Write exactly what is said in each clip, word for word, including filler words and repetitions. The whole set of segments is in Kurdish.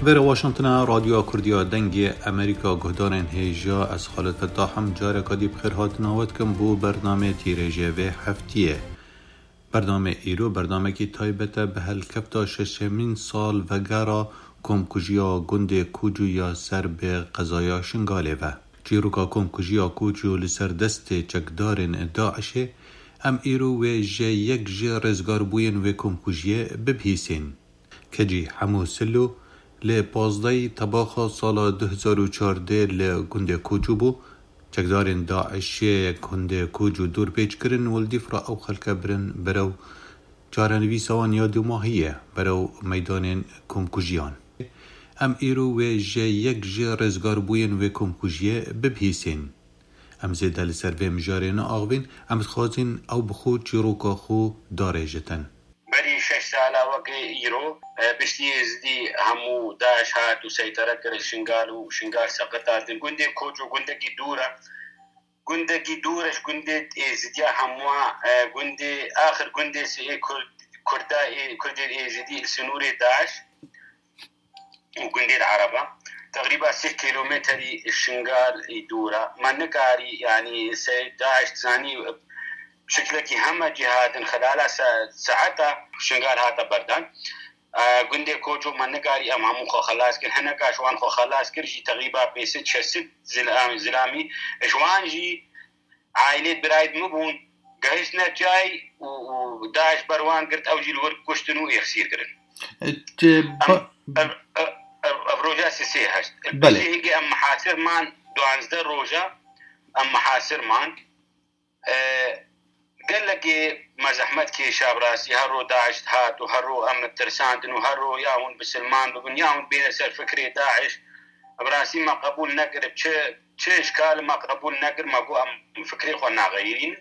Vêre Washingtona Radyoya Kurdiya Dengê Amerîka guhdarên hêja, ez Xalid Fettah em careka dî bi xêr hatina we dikim bo bernameyê tîrêjê vê heftiyê. Bernameyê îro bernamekî taybet e bi helkefta şeşemîn salvegera komkujiya gundê Koçû ya ser bi qezaya Şingalê ve. Çîroka komkujiya Koçû li ser destê çekdarên DAIŞê, em îro wê ji yek ji rêzgarbûyên wê komkujiyê bibihîsên. Kecî Hemû Silo li pazdehî Tebaxa sala du hezar û çardeh li gundê Koçû bû. Çekdarên DAIŞê gundê Koçû dorpêç kirin û li dîf re ew xelke birin berew çarenivîsa wan ya dumahiyê, berew meydanên komkujiyan. Em îro wê ji yek ji rêzgarbûyên wê komkujiyê bibihîsên. Em zêde li ser vê mijarê neaxivîn, em dixwazin ew bi xwe çîroka xwe darêjitin. Berî şeş sala weke îro, e, piştî Êzidî hemû DAIŞ hat û seytere kir Şingal û Şingal seqit hatin. Gundê Koçû gundekî dûr e. Gundekî dûr e ji gundê Êzidiya hemûa, e, gundê, axir gundê sê Kurd, Kurda ê, Kurdên Êzidî li sinûrê DAIŞ û gundên Ereba. Teqrîba sê kîlometrî Şingal î dûr e. Me nikarî, yanî se-, DAIŞ dizanî şiklekî heme cî hatin xilala se-, saeta Şingal hate berdan. E, gundê Koçû me nikarî em hemû xwe xelas kir. Hineka ji wan xwe xelas kir jî teqrîba pênc sed şeş sed zil-, zilamî. Ji wan jî aîlê birayê min bûn, gehiştine çay û, û DAIŞ ber wan girt, ew jî li wir kuştin û êxsîr kirin. E, te Em, ba- ev, ev, ev, ev roja sisê heşt. Belê. Piştî hingê em mihasir man duwazdeh roja, em mihasir man. E, gelekê me zehmet kêşa bi rastî, her ro DAIŞ hat û her ro em tirsandin û her ro ya hûn bisilman bibin, ya hûn bêne ser fikrê DAIŞ. Bi rastî me qebûl nekir, çi, çi îşkal me qebûl nekir, me got em fikrê xwe naxeyirîn.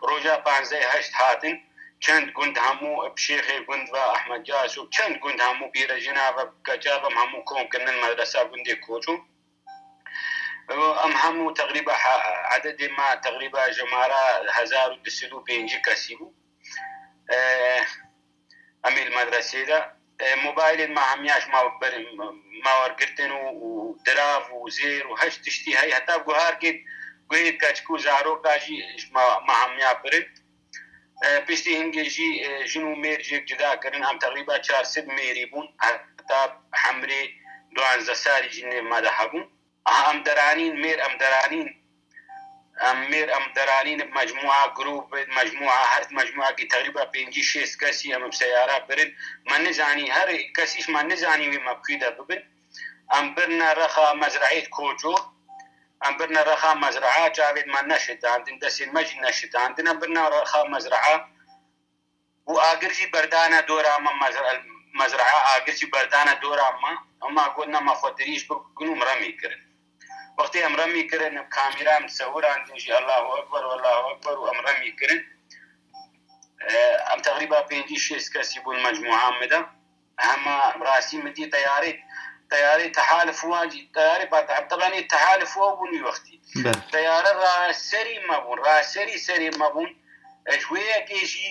Roja panzdeh heşt hatin, çend gund hemû bi şêxê gund ve Ehmed Caş û çend gund hemû bîre jina ve keça ve em hemû kom kirin li medresa gundê Koçû. Em hemû teqrîba he-, ededê me teqrîba jimara hezar û du sed û pêncî kesî bû. E, em ê li medresê de, e, mobaylên me hemiya ji me ber-, me wergirtin û, û dirav û zêr û heşt tiştî heye. Heta guharkê guhê keçik û zaroka jî ji me, me hemiya birin. E, piştî hingê jî, e, jin û mêr jêk cida kirin. Em teqrîba çar sed mêrî bûn. Heta hemrê duwazdeh salî jî nêv me de hebûn. Aha, em deranîn, mêr em deranîn. Em mêr em deranîn, bi mecmûa grûp, bi mecmûa her mecmûakî teqrîba pêncî şêst kesî em bi seyara birin. Me nizanî, her kesî ji me nizanî wê me bi kû de bibin. Em birine rexa mezreeyê Koçû. Em birine rexa mezrea, çavên me neşitandin, destên me jî neşitandin. Em birine rexa mezrea. Û agir jî berdane dora me, mezra-, mezraa agir jî berdane dora me. Ema got, nema xwe dirîj bikin û em remî kirin. Wextê em remî kirin, kamîra em sewirandin jî, Allahu Ekber, Allahu Ekber û em remî kirin. E, em teqrîba pêncî şêst kesî bûn mecmûa min de. Hema rastî min dî teyarê, teyarê tehalif wan jî, teyarê ba-, tebanê tehalif wan bûn wî wextî. Belê. Teyare raserî me bûn, raserî serê me bûn. E, ji wê yekê jî,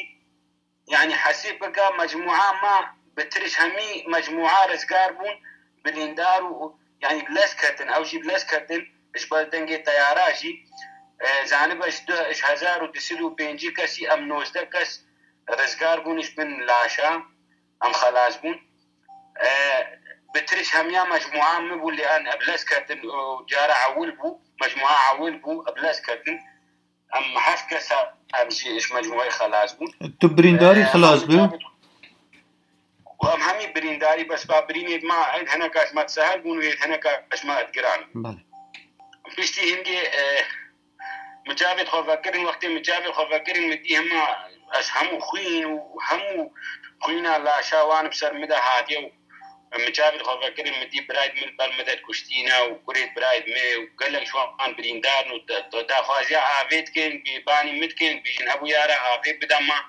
yanî hesîb bike, mecmûa me bi tiriş hemî mecmûa rizgar bûn, bilîndar û, yanî bi lez ketin, ew jî bi lez ketin, ji ber dengê teyara jî, e, zanibe ji du, ji hezar û du sed û pêncî kesî em nozdeh kes rizgar bûn ji bin laşa, em xelas bûn. E, bi tiriş hemiya mecmûa min bû, lê em bi lez ketin, û cara ewil bû, mecmûa ewil bû, bi lez ketin. Em heft kes em jî ji mecmûeyê xelas bûn. Tu birîndarî Ee, xelas bû? Em hemî birîndarî, bes ba birînê me, hineka ji me sehel bûn û hineka ji me giran. Belê. Piştî hingê, e, min çavê xwe vekirin, wextê min çavê xwe vekirin, min dî hema ez hemû xwîn û hemû xwîna laşa wan bi ser min de hatiye û Min çavê xwe vekirin, min dî birayê min li ber min de dikuştîne û kurê birayê min û gelek ji wan birîndar in û da-, da-, daxwaziya avê dikin, bêbanî min dikin, bêjin hebû yara avê bide me.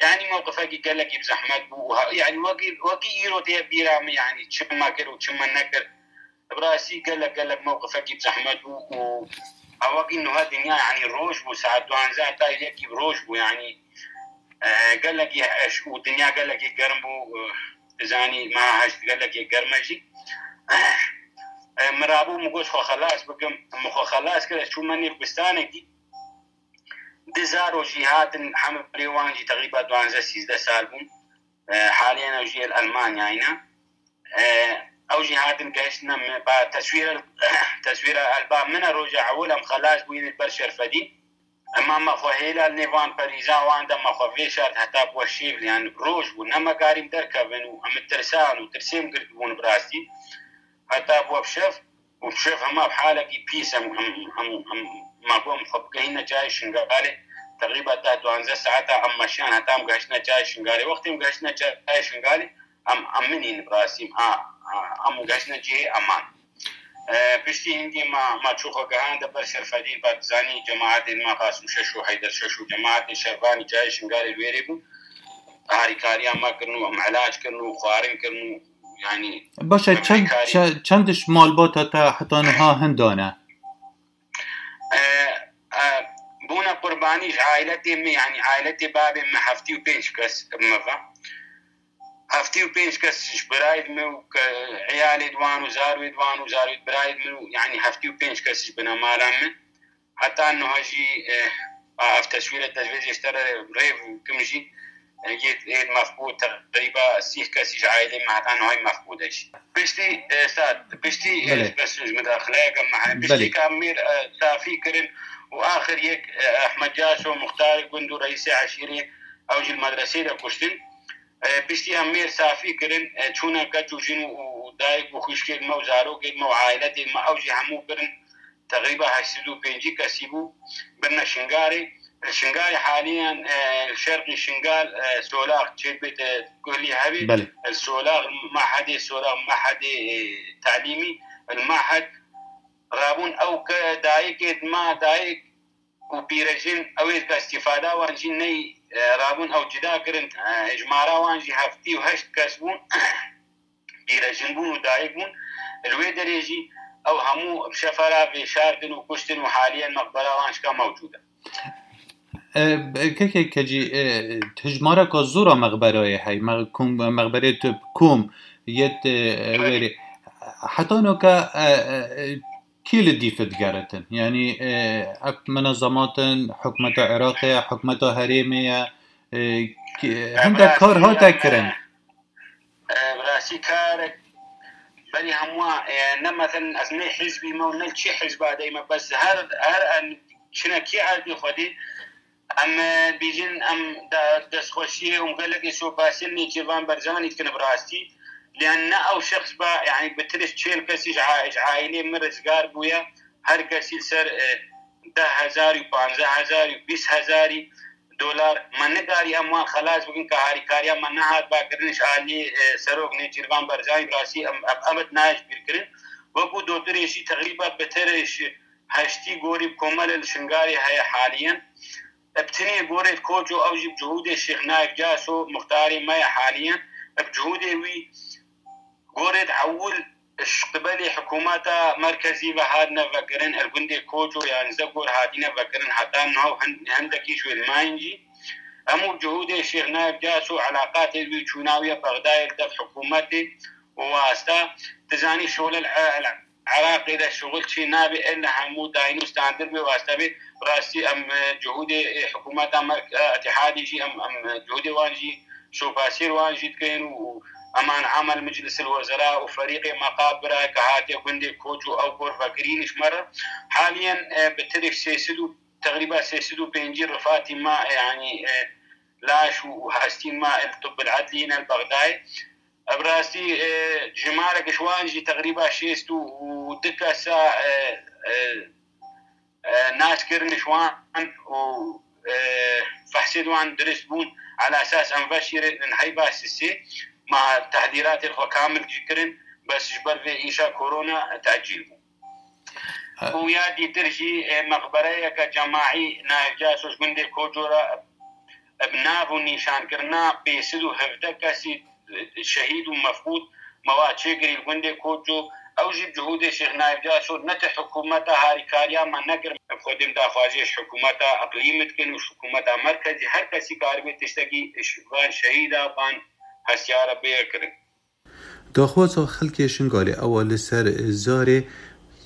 Yanî mewqifekî gelekî bi zehmet bû û ha-, yanî wekî, wekî îro tê bîra min, yanî çi me kir û çi me nekir. Bi rastî gelek, gelek mewqifekî bi zehmet bû û ha wekî nuha dinya, yanî roj bû, saet duanzeh heta yekî bi roj bû, yanî, e, gelekî eş û dinya gelekî germ bû, e, dizanî meha heşt gelekî germ e jî. E, min rabû min got xwe xelas bikim, min xwe xelas kir, ez çûme nêv bistanekî. Du zarok jî hatin, hemrê wan jî teqrîba duwazdeh sîzdeh sal bûn. E, haliyen ew jî li Elmanyayê ne. E, ew jî hatin gehiştine min, ba teswîra, teswîra li ba min e, roja ewil em xelas bûyîn li ber Şerfedîn. Ema me xwe hêla li nêvan perîza wan de me xwe vêşart heta bi we şêv, yani roj bû, ne me karîm derkevin û em tirsan û tirsêm girtibûn bi rastî. Heta bi we bi şev û bi şev hema bi halekî pîs em, em, em, em, me got em xwe bigehîne çayê Şingalê. Teqrîba deh duwazdeh saeta em meşiyan heta em gehiştine çayê Şingalê. Wextê em gehiştine çayê Şingalê, em, em minîn bi rastî, a, a, em gehiştine cihê eman. E, piştî hingê me, me çû xwe gehande ber Şerfedîn, ba dizanî cemaetên me Qasim Şeş û Heyder Şeş û cemaetê Şervanî çayê Şingalê li wêrê bûn. Harîkariya me kirin û em ilac kirin û xwarin kirin û, yanî, Baş e, em çend, heykarî çe-, çend ji malbata te heta niha hinda ne? E, e, bûne qurbanî ji ailetê min, yanî ailetê babê min heftê û pênc kes me ve. Heftê û pênc kes ji birayê min û ke-, eyalê di wan û zarwê di wan û zarwê di birayê min û, yanî heftê û pênc kes ji binemala min. Heta niha jî, e, ev teswîre dezvêzê ji te re rêv kim jî, e, yê, yê mefqûd teqrîba sîh kesî ji aîlê me heta niha mefqûd e jî. Piştî, e, sat, piştî, e, Belê. bes ji midaxileyeke me heye. Piştî Belê. ka em mêr, e, safî kirin û axir yek, e, Ehmed Caso, muxtarê gund û reîsê eşîrê, ew jî li medresê de kuştin. E, piştî em mêr safî kirin, e, çûne keç û jin û, û dayik û xwişkên me û zarokên me û aîletên me, ew jî hemû birin. Teqrîba heşt sed û pêncî kesî bû, birine Şingalê. Li Şingalê haliyen, e, li şerqî Şingal, e, Solax çêdibê te guhlî hebî. Belê. Li Solax mehedê, Solax mehedê, e, telîmî, li mehed rabûn ew ke dayikê dima dayik û pîrejin, ew ê ka îstîfada wan jî ney, e, rabûn ew cida kirin, e, hejmara wan jî heftê û heşt kes bûn. Pîrejin bûn û dayik bûn. Li wê derê jî ew hemû bi şefera vêşartin û kuştin û haliyen meqbera wan şika mewcûd e. E, kekê Kecî, e, hijmareka zor a mexberayê hey, me-, kom, mexberê tu kom yet, e, Belê. wêrê. Heta noka, e, e, e, kî li dîf digeritin? Yanî, e, ev minezematin hikûmeta Iraqê ye, hikûmeta herêmê ye, e, kî-, E, hinde kar hate kirin. E, bi rastî karek berî hemû, e, ne, mesela ez ne hizbî me û ne çi hizba dey me, bes her, her em çine kî erdê Xwedê, em, e, bîjin em de-, destxweşiyê û gelekê şopasiyê Nêçîrvan Barzanî dikin bi rastî. Lê ne ew şexs ba, yanî bi tirş çêl kesî ji a-, ji aîlê min rizgar bûye. Her kesî li ser, e, deh hezar û panzdeh hezar û bîst hezarî dolar. Me nikarî em wan xelas bikin, ka harîkariya me nehat ba kirin ji alî, e, Serok Nêçîrvan Barzanî, bi rastî em, em, em nayê ji bîr kirin. Wekû dotirê jî teqrîba bi tirş heştî gorî bi komelê li Şingalê heye haliyen. Bi tinê gorê Koço, ew jî bi cihûdê Şêx Naif Caso, muxtarê me ye haliyen. Bi cihûdê wî gorê ewil ji qibelê hikûmeta merkezî ve hatine vekirin, li gundê Koço yan Zegor hatine vekirin, heta niha hin-, hindekî ji wê li mayîn jî. Hemû cihûdê Şêx Naif Caso, elaqatê wî, çûna wî ya Bexdayê li dev hikûmetê û wasta. Dizanî şole li, li Iraqê de şixul çê nabe, illa hemû dayîn û standir bê, wasta bê. Bi rastî em, e, cihûdê, e, hikûmeta merk-, e, Etihadî jî em, em, e, cihûdê wan jî şopasiyê wan jî dikin û eman amel Meclis el Wezera û ferîqê Meqabira ke hatiye gundê Koç û ew gor vekirîn ji me re. Haliyen, e, bi tirek sê sed û, teqrîba sê sed û pêncî rifatî me, e, yanî, e, laş û, û hestîn me li Tibb el Edlî ne li Bexdayê. Bi rastî, e, jimarek ji wan jî teqrîba şêst û du kesa, e, e, e, nas kirin ji wan û, e, fehsê di wan dirist bûn. Ala esas em veşîrin heyba sisê, ma tehdîratê xwe kamil jî kirin, bes ji ber vê îşa korona tecîl bû. E. Û ya dîtir jî, e, meqbereyeke cemaî Naif Caso ji gundê Koço re bi nav û nîşankirina pênc sed û hevdeh kesî şehîd û mefqûd me wa çêkirî li gundê Koço. Ew jî bi cihûdê Şêx Naif Caso ne ti hikûmeta harîkariya me nekir. Bi Xwedê em daxwazê ji hikûmeta iqlîmî dikin û ji hikûmeta merkezî her kesî karibê tiştekî ji van şehîda, van hestiyara bêye kirin. Daxwaza xelkê Şingalê ewa li ser zarê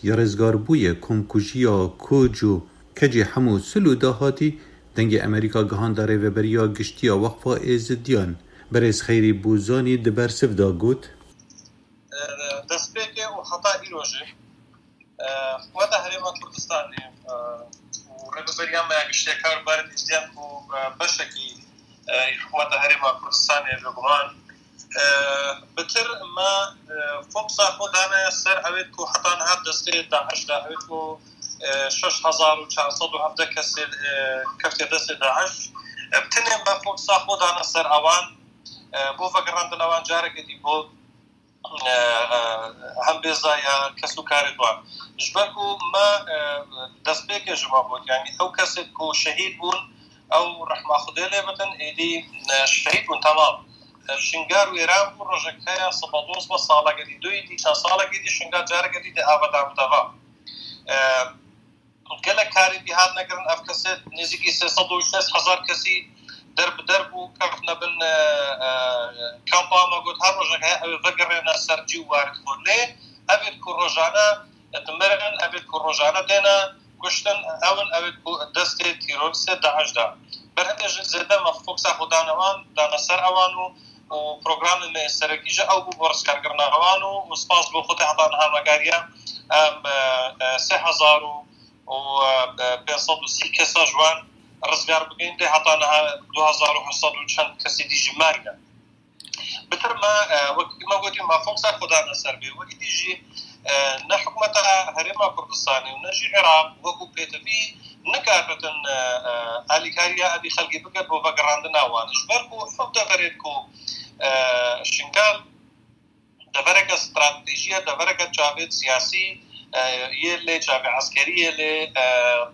ya rêzgarbûyê komkujiya koc û kecê hemû sil û dahatî dengê Amerîka gihanda Rêveberiya Giştî ya Weqfa Êzidiyan, birêz Xeyrî Bûzanî di bersiv de got. Destpêkê û heta îro jî Hikûmeta Herêma Kurdistanê û Rêveberiya me ya Giştî ya Karûbarê Êzidiyan ku beşekî hikûmeta Herêma Kurdistanê li guman, bitir me fokusa xwe dane ser ewêt ku heta niha destê DAIŞ de, ewêt ku şeş hezar û çar sed û hevdeh kesê keftiye destê DAIŞ. Bi tinê me fokusa xwe dane ser ewan, bo vegerandina wan carekê dî bo hembêza ya kes û karê wan. Ji ber ku me destpêkê ji me got, yanî ew kesê ku şehîd bûn, ew rehma Xwedê lê bitin, êdî şehîd bûn, temam. Şingal wêran bû, rojek heye, sibedoz be, salekê dî, duyî dî, çend salekê dî Şingal carekê dî dê ava da bi deva. Gelek karê dî hatine kirin, ev kesê nêzîkî sê sed û şêst hezar kesî der bi der bû, keftine bin kampa, me got her rojek heye ew ê vegerêne ser cî û warê xwe. Lê ev ê ku rojane dimirin, ev ê ku rojane têne kuştin, ew in ew ê ku destê terorîstê DAIŞ de. Berhindê jî zêde me fokusa xwe dane wan, dane ser ewan û, û programê me yê serekî jî ew bû bo rizgarkirina wan û, û spas bo Xwedê heta niha me kariye em sê hezar û û pênc sed û sî kesa ji wan rizgar bikin, lê heta niha du hezar û heft sed û çend kesî dî jî marî ne. Bitir me, wekî me gotî, me fokusa xwe dane ser vê. Wekî dî jî ne hikûmeta Herêma Kurdistanê û ne jî Iraq wekû pêtivî nikaritin alîkariya evî xelkê bikin bo vegerandina wan. Ji ber ku ev deverê ku Şingal devereke stratejî ye, devereke çavê siyasî yê lê, çavê eskerî yê lê,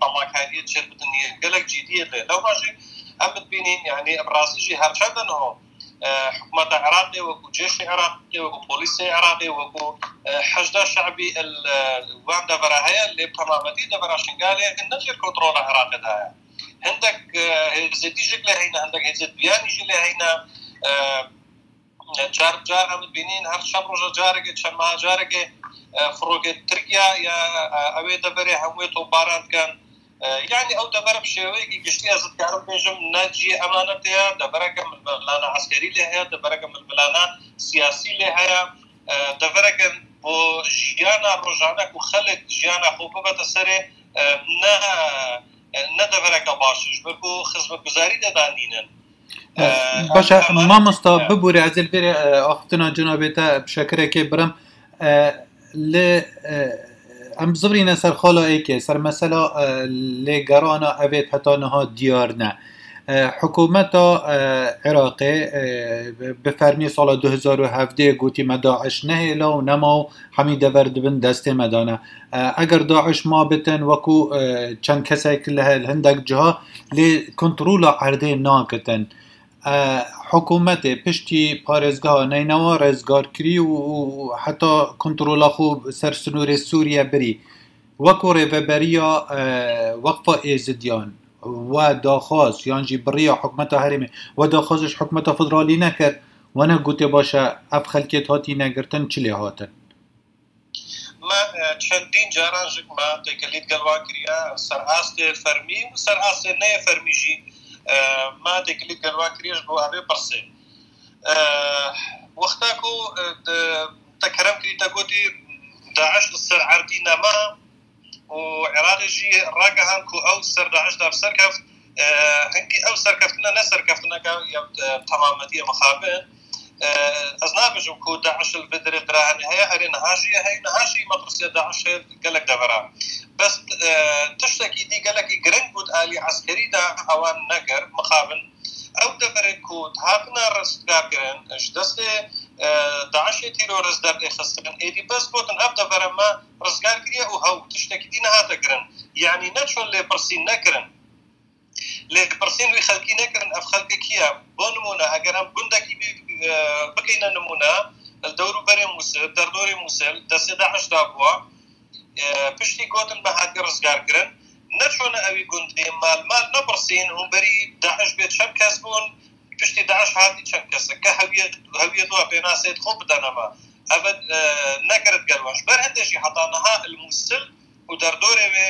temakariyê çêbidinê gelek cîdî yê lê. Lewma jî em bibînîn, yanî bi rastî jî her çend niho hikûmeta Iraqê, wekû cêşê Iraqê, wekû polîsê Iraqê, wekû hişda şebî li wan devera heye, lê bi temametî devera Şingalê ne jêr kontrola Iraqê de ye. Hindek hêzê dî jî lê heyne, hindek hêzê duyanî jî lê heyne. Car car em dibînin, her çend roja carekê, çend meha carekê firokê Tirkiye ya ew ê deverê hemûyê topbaran dikin. Yanî ew dever bi şêweyekî giştî, ez dikarim bêjim, ne cihê emanetê ye, devereke milmilane eskerî lê heye, devereke milmilane siyasî lê heye, devereke bo jiyana rojane ku xelk jiyana xwe bibete serê, ne, ne devereke baş e, ji ber ku xizmetguzarî de danînin. Baş e, mamosta, bibûre, ez ê li vêrê axiftina cenabê te bi şekirekê birim. Li, em bizivirîne ser xala êkê, ser mesela lêgerana evê heta niha diyar ne. Hikûmeta Iraqê bi fermî sala du hezar û hevdeh gotî me DAIŞ nehêla û nema û hemî dever di bin destê me de ne. Eger DAIŞ ma bitin, wekû çend kesek li hindek ciha lê kontrola erdê nakitin. Hikûmetê piştî parêzgeha Neynewa rêzgarkirî û heta kontrola xwe ser sinûrê Sûriye birî. Wekû rêveberiya Weqfa Êzidiyan we daxwaz yan jî bi riya hikûmeta herêmê we daxwaz ji hikûmeta federalî nekir? We negotê, baş e, ev xelkê hatîne girtin, çi lê hatin? Me çendîn caran ji me têkilî digel wan kiriye, ser astê fermî û ser astê neyê fermî jî me têkilî digel wan kiriye ji bo evê pirsê. Wexta ku te kerem kirî, te gotî DAIŞ li ser erdî nema û Iraqê jî ragihand ku ew ser DAIŞ de bi ser keft, hingî ew serkeftine ne serkeftineke ya temametî ye mixabin. Ez nabêjim ku DAIŞ li vê derê dira hene heye, erê niha jî heye, niha jî metrsiya DAIŞ heye gelek devera. Bes tiştekî dî gelekî giring bû di alî eskerî de ewan nekir, mixabin. Ew deverê ku dihatine rizgarkirin ji destê DAIŞê terorîst derdê xistin, êdî bes gotin ev devere me rizgar kiriye û hew tiştekî dî nehate kirin. Yanî neçûn lêpirsîn nekirin. Lêpirsîn wî xelkî nekirin, ev xelkê kî ye? Bo nimûne, eger em gundekî bî, e, bikeyne nimûne, li dewrûberê Mûsil, derdorê Mûsil, destê DAIŞ de bû, e, piştî gotin me hatiye rizgarkirin, neçûne ewî gundê, mal mal nepirsîn, hûn berî DAIŞ bê çend kes bûn, piştî DAIŞ hatî çend kes e, ke hewiyê, hewiyê dua pênasê xwe bidene me. Ev e, nekirit gel wan. Ji ber hindê jî heta niha li Mûsil û derdorê wê,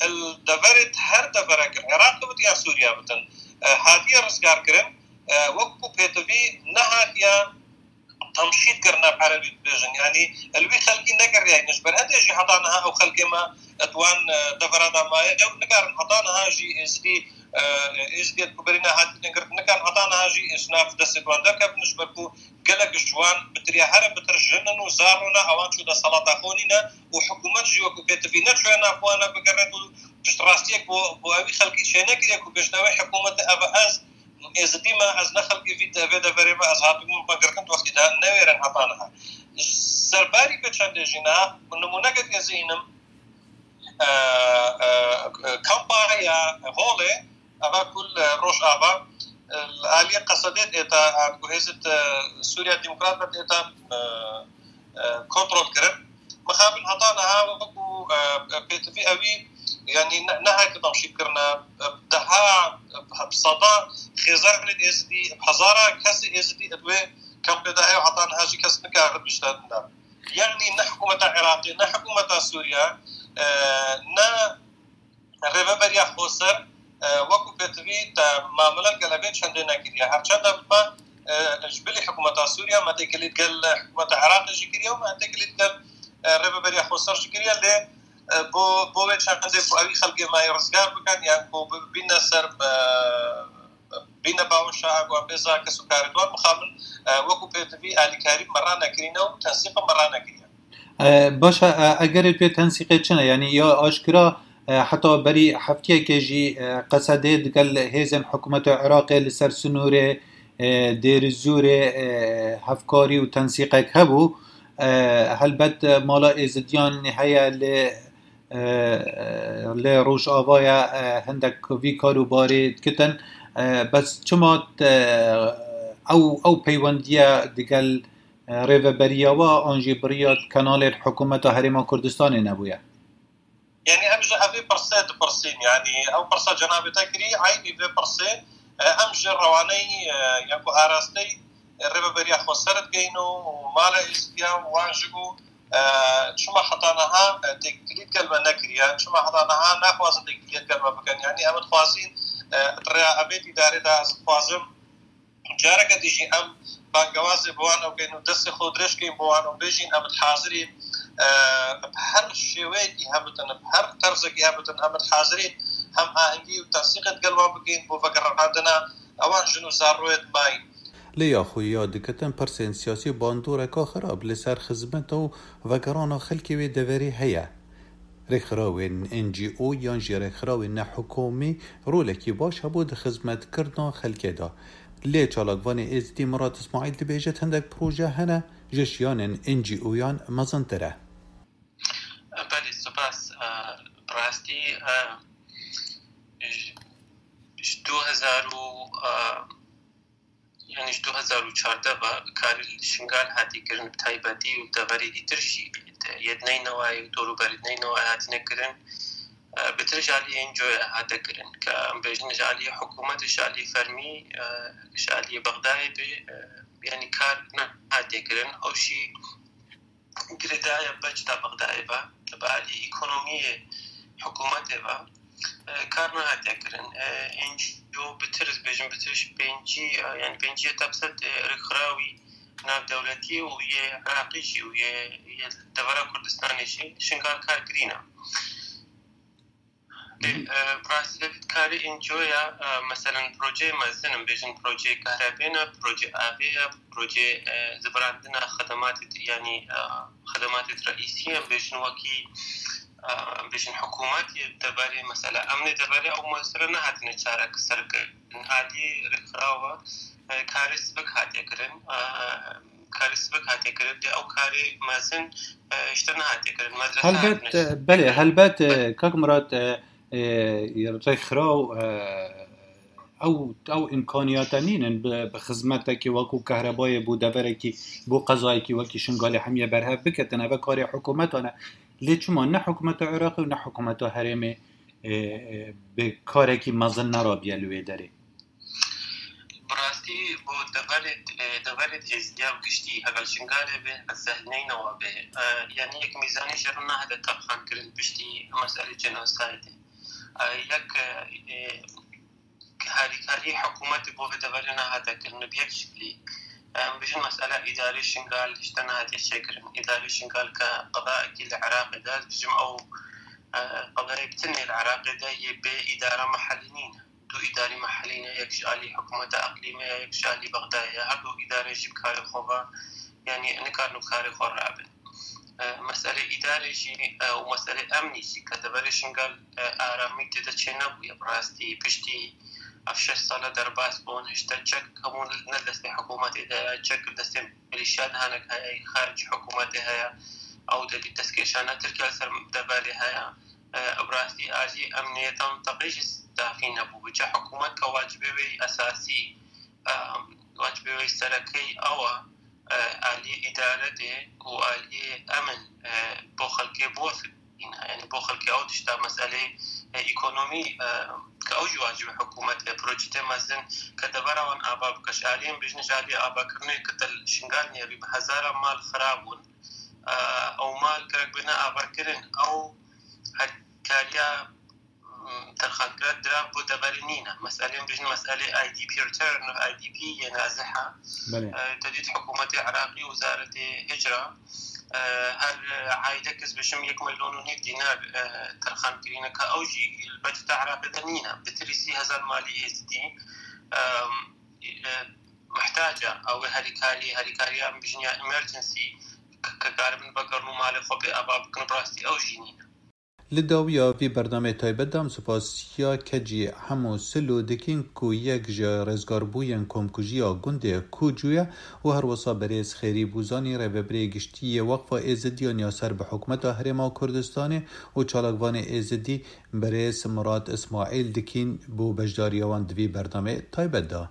li deverê, her deverek li Iraqê bitin ya Sûriya bitin, e, hatiye rizgarkirin, e, wekû pêtivî nehatiye temşît kirine, bi erebî dibêjin. Yanî li wî xelkî nekiriye. Ji ber hindê jî heta niha ew xelkê me di wan, e, devera de maye. Ew nikarin heta niha jî êzidî, e, êzidiyê ku berî nehatîne girtin, nikarin heta niha jî ji nav destê wan derkevin, ji ber ku gelek ji wan bi tirya here bitir jin in û zarro ne, ewan çû destelata xwe nîne û hikûmet jî wekû pêtivî neçûye nav wan e bigere û piştrastiyek bo, bo ewî xelkî çênekiriye ku bêjne wê hikûmetê ev e ez êzidî me, ez ne xelkê vî de-, vê deverê me, ez hatibûm me girtin wextî de newêrin heta niha. Serbarî vê çendê jî niha nimûneke dizînim, e, e, e, kampa ya Holê, eva ku li Rojava, e, li aliyê Qesedê tête, an ku hêzê, e, Sûriya Demokrat ve tête, e, e, kontrol kirin. Mixabin heta niha wekû, e, pêtivî ewî, yanî ne, nehatiye temşît kirine, e, deha, e, bi seda xêzanê êzidî, bi hezara kesê êzidî di wê kampê de heye, heta niha jî kes nikare bişte ne. Yanî ne hikûmeta Iraqê, ne hikûmeta Sûriya, e, ne Rêveberiya Xweser, e, wekû pêtivî te mamele gel evê çendê nekiriye. Her çend e bibe, e, ji bilî hikûmeta Sûriya me têkilî gel hikûmeta Iraqê jî kiriye û me têkilî gel, e, Rêveberiya Xweser jî kiriye. Lê, e, bo, bo wê çendê ku ewî xelkê me yê rizgar bikin, yan ku bi-, bîne ser, e, bîne baweşa, ku em bê za kes û karê wan mixabin, e, wekû pêtivî alîkarî me ranekirîne û tensîqa me ranekiriye. E, baş e, e, egerê pê tensîqê çi ne? Yanî ya aşkira, e, heta berî heftiyekê jî, e, Qesedê digel hêzên hikûmeta Iraqê li ser sinûrê, e, Dêrizûrê, e, hevkarî û tensîqek hebû. E, helbet, e, mala êzidiyan heye lê, e, lê Rojavaya, e, hindek vî kar û barê dikitin. E, bes çima, e, ew, ew peywendiye digel e, rêveberiya we an jî bi riya kanalên hikûmeta Herêma Kurdistanê nebûye? Yanî em ji evê pirsê dipirsîn, yanî ew pirsa cenabê te kirî, eynî vê pirsê, e, em ji rewaneyî, e, ya ku arasteyî, e, Rêveberiya Xweser digeyn û mala êzidiya wan ji ku, e, çima heta niha, e, têkilî digel me nekiriye, çima heta niha naxwazin têkilî digel me bikin. Yanî em dixwazîn, e, di rêya evê dîdarê de ez dixwazim, Careke dî jî em bangewazê bi wan ew kein û destê xwe dirêj kein bo wan û bêjîn, em hazirîn, e, bi her şêweyekî hebitin, bi her terzekî hebitin, em hazirîn hem ahengî û tensîqê digel wan bikin bo vegerandina ewan jin û zarroyê dimayîn. Lê ya xwe ya dikitin pirsên siyasî bandoreka xirab li ser xizmeta û vegerana xelkê wê deverê heye. Rêkxirawên N G O yan jî rêkxirawên nehikûmî rolekî baş hebû di xizmetkirina xelkê de. Lê çalakvanê Êzidî Murat Îsmaîl dibêjit hindek proje hene ji şiyanên N G O yan mezintir e. Belê, spas. E, bi rastî, e, ji, ji du hezar û, e, Yanî ji du hezar û çardeh ve karê li Şingal hatî kirin, bi taybetî û deverê dîtir jî yê di Neynewayê û dorûberî Neynewayê hatine kirin. E, bi tir ji aliyê N G O hate kirin, ke em bêjin ji aliyê hikûmetê, ji aliyê fermî, e, ji aliyê Bexdayê bê, e, yanî kar nehatiye kirin. Ew jî girêdayî ya beçeta Bexdayê ve, bi alî ekonomiyê hikûmetê ve, e, kar nehatiye kirin. E, N G O bi tir, ez bêjim, bi tir ji pêncî, e, yanî pêncî heta bi sed, e, rêkxirawî navdewletî û yê Iraqî jî û yê, yê devera Kurdistanê jî Şingal kar kirîne. Lê, e, bi rastî de vî karê N G O ya, e, meselen projeyê mezin in, bêjin projeyê kahrebê ne, projeyê avê ye, projeyê, e, zivirandina xedematê di-, yanî, e, xedematê reîsî ye, bêjin wekî, e, bêjin hikûmet yê deverê, mesela emnê deverê ew mesele nehatine çareserkirin. Alî rêkxirawa, e, karê sivik hatiye kirin. E, karê sivik hatiye kirin, lê ew karê mezin, e, ji te nehatiye kirin. Medrese Helbet, hatine e, belê, helbet, e, kak Murat, e, e, rêkxiraw, e, ew, ew îmkaniyata nînin bi, bi xizmetekî wekû kahrebayê bo deverekî, bo qezayekî wekî Şingalê hemî berhev biketin. Ev karê hikûmetan e. Lê çima ne hikûmeta Iraqê û ne hikûmeta herêmê, e, e, bi karekî mezin nerabiye li wê derê? Bi rast Tî bo deverê, e, deverê êzdiya giştî, heger Şingalê be, heger Sehneynewa be, e, yanî yek mîzanî ji re nahête terxankirin piştî meselê genocide. E, yek, e, e, harîkarî hikûmetê bo vê deverê nehate kirin bi yek şiklî. Em bijin mesela îdarê Şingal hişte nehatiye çêkirin. Îdarê Şingal ke qedayekî li Iraqê de, ez bijim ew, e, qedayê bitinê li Iraqê de yê bê îdara mehelî nîne. Du îdarî mehelî ne, yek ji alî hikûmeta eqlîmê ye, yek ji alî Bexdayê ye. Her du îdare jî bi karê xwe ve, yanî nikarin bi karê xwe rabin. E, meselê îdarê jî, e, û meselê emnî jî ke deverê Şingal, e, aramî tê de çênebûye bi rastî. Piştî ev şeş sale derbas bûn, hişte çek hemû ne destê hikûmetê de ye, çek destê milîşya de hinek heye, xaricî hikûmetê heye. Ew de dî destkeşana Tirkiye li ser deverê heye. E, bi rastî alî emniyeta mintaqê jî dafî nebû. Biçe hikûmet ke wacibê wê esasî, e, wacibê wê serekey ew e, e, aliyê îdare de û aliyê emin, e, bo xelkê bo fikirîne. Yanî bo xelkê ew tişta meselê, e, ekonomî, e, ke ew jî wacibê hikûmet e, projetê mezin ke devera wan ava bike. Ji aliyên bijne, ji aliyê avakirinê ke te li Şingal nêrî bi hezaran mal xirab bûn. E, ew mal gerek bine avakirin. Ew herkariya, mm, terxankira dira bo deverê nîne. Meselên bijin meselê I D P return, I D P yê naziha. Belê. E, te dît hikûmetê Iraqî, Wizaretê Hicra, e, her aîlek ez bijim yek milyon û nîv dînar, e, terxan kirîne ka ew jî li baceta Iraqê de nîne. Bitirî sî hezar malî êzidî, e, e, muhtac e. Ew ê herîkarî, herîkariya em bijin ya emergency, k-, ke karibin vegerin û malê xwe bê ava bikin, bi rastî ew jî nîne. Li dawiya vî bernameyê taybet de em spasiya kecî Hemo Silo dikin ku yek ji rêzgarbûyên komkujiya gundê Kûcû ye û herwesa berêz Xêrî Bûzanî, rêvebirê giştî yê Weqfa Êzidiyan ya ser bi hikûmeta Herêma Kurdistanê û çalakvanê Êzidî berêz Mirad Îsmaîl dikin bo beşdariya wan di vî bernameyê taybet de.